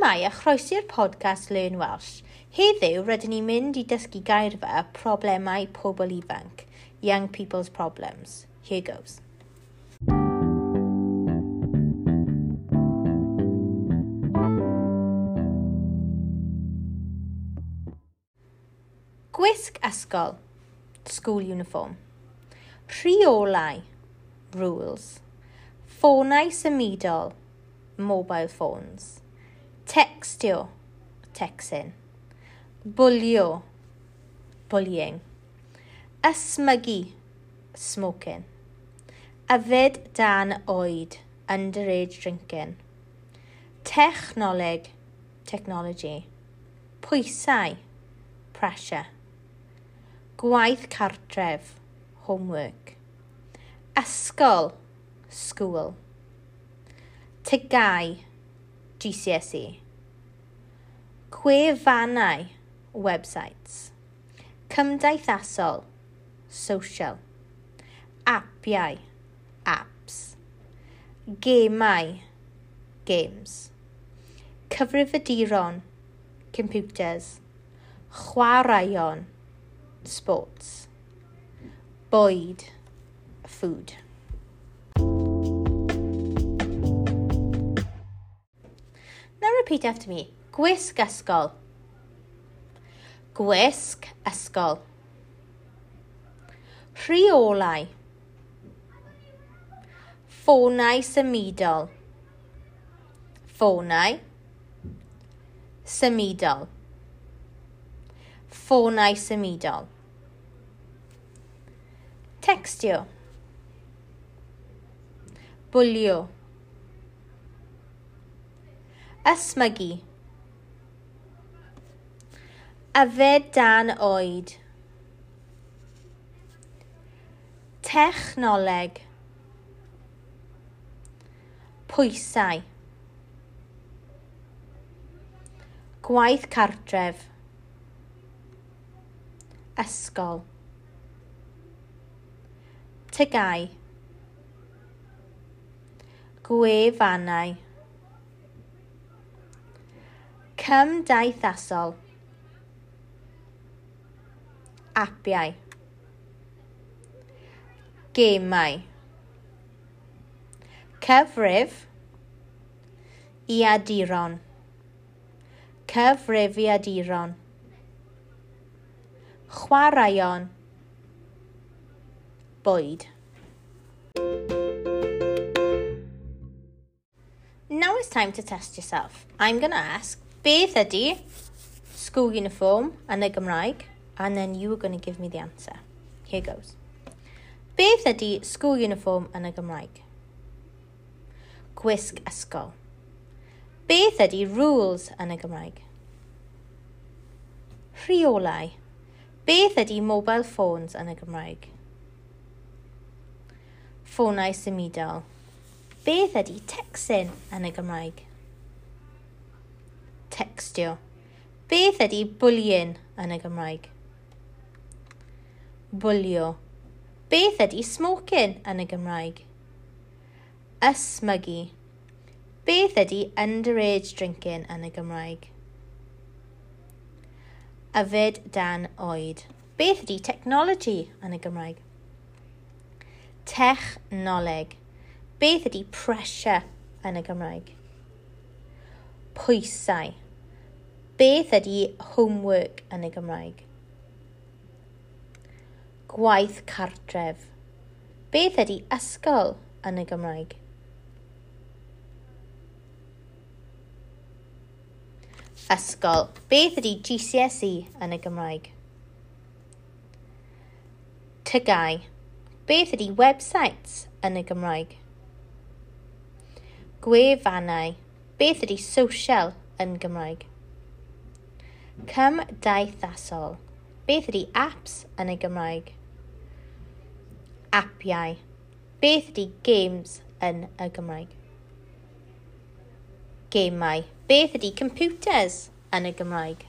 Shwmae a chroeso i'r podcast Learn Welsh. Heddiw rydyn ni'n mynd i dysgu geirfa problemau pobl ifanc, Young People's Problems. Here goes. Gwisg ysgol, school uniform. Rheolau, rules. Ffonau symudol, mobile phones. Textio, texting. Bwlio, bullying. Ysmygu, smoking. Yfed dan oed, underage drinking. Technoleg, technology. Pwysau, pressure. Gwaith cartref, homework. Ysgol, school. TGAU, GCSE. Gwefannau, websites. Cymdeithasol, social. Apiau, apps. Gemau, games. Cyfrifiaduron, computers. Chwaraeon, sports. Bwyd, food. Now repeat after me. Gwisg ysgol. Gwisg ysgol. Rheolau. Ffonau symudol. Ffonau symudol. Ffonau symudol. Textio. Bwlio. Ysmygu. Yfed dan oed. Technoleg. Pwysau. Gwaith cartref. Ysgol. TGAU. Gwefannau. Cymdeithasol. Apiau. Gemau. Cyfrif. Iaduron. Cyfrifiaduron. Chwaraeon. Bwyd. Now it's time to test yourself. I'm going to ask, beth ydy school uniform yn y Gymraeg? And then you are going to give me the answer. Here goes. Beth ydy school uniform yn y Gymraeg? Gwisg ysgol. Beth ydy rules yn y Gymraeg? Rheolau. Beth ydy mobile phones yn y Gymraeg? Ffonau symudol. Beth ydy texting yn y Gymraeg? Textio. Beth ydy bullying yn y Gymraeg? Bwlio. Beth ydy smoking yn y Gymraeg? Ysmygu. Beth ydy underage drinking yn y Gymraeg? Yfed dan oed. Beth ydy technology yn y Gymraeg? Technoleg. Beth ydy pressure yn y Gymraeg? Pwysau. Beth ydy homework yn y Gymraeg? Gwaith cartref. Beth ydy ysgol yn y Gymraeg? Ysgol. Beth ydy GCSE yn y Gymraeg? TGAU. Beth ydy websites yn y Gymraeg? Gwefannau. Beth ydy social yn Gymraeg? Cymdeithasol. Beth ydy apps yn y Gymraeg? Apiau. Beth ydy games yn y Gymraeg? Gemau. Beth ydy computers yn y Gymraeg?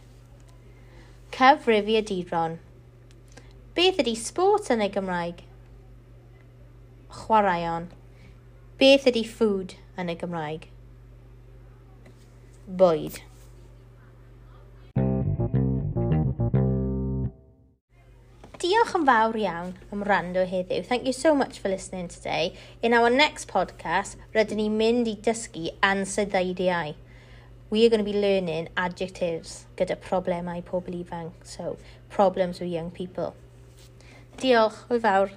Cyfrifiaduron. Beth ydy sport yn y Gymraeg? Chwaraeon. Beth ydy food yn y Gymraeg? bwyd. Diolch yn fawr iawn am wrando heddiw. Thank you so much for listening today. In our next podcast, rydyn ni'n mynd i dysgu ansoddeiriau. We are going to be learning adjectives gyda problemau pobl ifanc. So, problems with young people. Diolch, hwyl fawr.